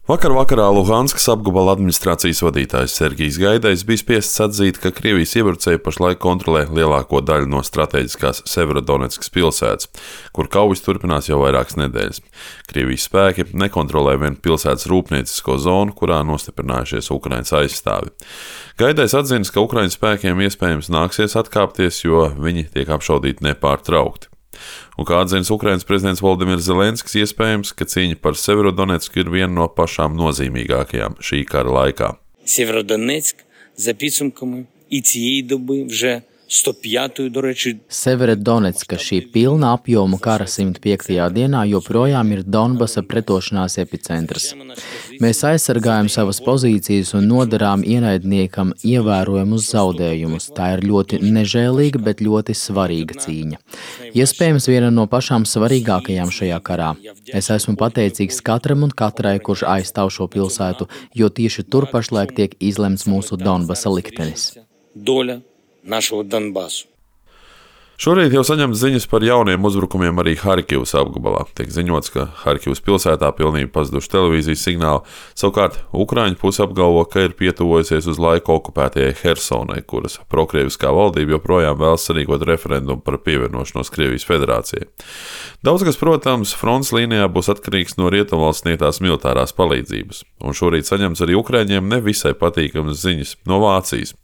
Vakarā Luhanskas apgabala administrācijas vadītājs Sergijs Gaidais bija spiests atzīt, ka Krievijas iebrucēji pašlaik kontrolē lielāko daļu no strateģiskās Severodonetskas pilsētas, kur kaujas turpinās jau vairākas nedēļas. Krievijas spēki nekontrolē vien pilsētas rūpniecisko zonu, kurā nostiprinājušies Ukrainas aizstāvi. Gaidais atzīst, ka Ukrainas spēkiem iespējams nāksies atkāpties, jo viņi tiek apšaudīti nepārtraukti. Un kā atzīst Ukrainas prezidents Volodimirs Zelenskis, iespējams, ka cīņa par Severodonetsku ir viena no pašām nozīmīgākajām šī kara laikā. Severodonetsk, за підсумками і цієї доби вже 105-ю, до речі. Severodonetska šī pilna apjoma kara 105. dienā joprojām ir Donbasa pretošanās epicentrs. Mēs aizsargājam savas pozīcijas un nodarām ienaidniekam ievērojamus zaudējumus. Tā ir ļoti nežēlīga, bet ļoti svarīga cīņa. Iespējams, viena no pašām svarīgākajām šajā karā. Es esmu pateicīgs katram un katrai, kurš aizstāv šo pilsētu, jo tieši tur pašlaik tiek izlemts mūsu Donbasa liktenis. Доля нашого Донбасу. Šorīt jau saņemts ziņas par jauniem uzbrukumiem arī Harkivas apgabalā. Tiek ziņots, ka Harkivas pilsētā pilnībā pazuduši televīzijas signāli. Savukārt Ukraiņu puse apgalvo, ka ir pietuvojusies uz laiku okupētajai Hersonai, kuras prokrieviskā valdība joprojām vēlas sarīkot referendumu par pievienošanos Krievijas federācijai. Daudz kas, protams, frontes līnijā būs atkarīgs no rietumvalsts sniegtās militārās palīdzības. Un šorīt saņemts arī Ukraiņiem nevisai patīkamas ziņas no Vācijas.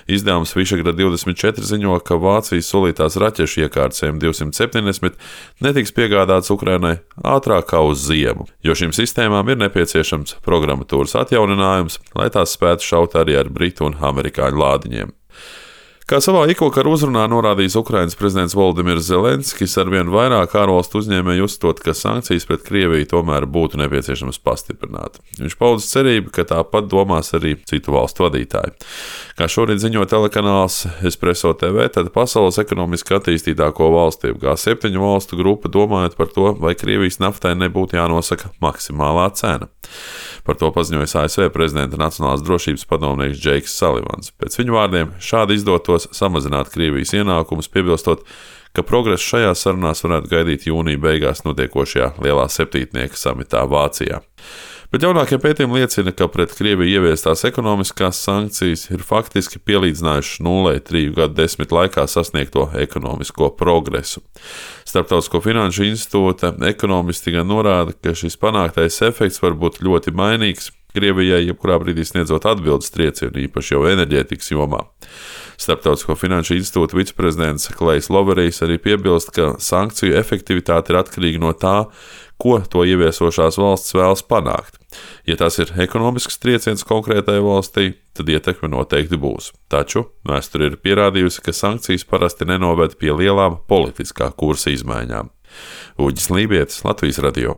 Izdevums Višegrad 24 ziņo, ka Vācijas solītās raķešu iekārtas M270 netiks piegādāts Ukrainai ātrāk kā uz ziemu, jo šīm sistēmām ir nepieciešams programmatūras atjauninājums, lai tās spētu šaut arī ar britu un amerikāņu lādiņiem. Kā savā ikvakar uzrunā norādījis Ukrainas prezidents Volodimirs Zelenskis, arvien vairāk ārvalstu uzņēmēji uzstot, ka sankcijas pret Krieviju tomēr būtu nepieciešams pastiprināt. Viņš paudis cerību, ka tāpat domās arī citu valstu vadītāji. Kā šorīt ziņo telekanāls Espresso TV, tad pasaules ekonomiski attīstītāko valstu, G7 valstu grupa, domājot par to, vai Krievijas naftai nebūtu jānosaka maksimālā cena. Par to paziņoja ASV prezidenta Nacionālās drošības padomnieks Džeiks Salivans. Pēc viņa vārdiem šādi izdotos samazināt Krievijas ienākumus, piebilstot, ka progresu šajās sarunās varētu gaidīt jūnija beigās notiekošajā lielā septītnieka samitā Vācijā. Bet jaunākie pētījumi liecina, ka pret Krieviju ieviestās ekonomiskās sankcijas ir faktiski pielīdzinājušas nulei 3 gadu desmit laikā sasniegto ekonomisko progresu. Starptautisko finanšu institūta ekonomisti gan norāda, ka šis panāktais efekts var būt ļoti mainīgs Krievijai, jebkurā brīdī sniedzot atbildes triecienu, īpaši jau enerģētikas jomā. Starptautisko finanšu institūta viceprezidents Klejs Loverijs arī piebilst, ka sankciju efektivitāte ir atkarīga no tā, ko to ieviesošās valsts vēlas panākt. Ja tas ir ekonomisks trieciens konkrētai valstī, tad ietekme noteikti būs. Taču vēsture ir pierādījusi, ka sankcijas parasti nenoved pie lielām politiskā kursa izmaiņām. Uģis Lībietis, Latvijas radio.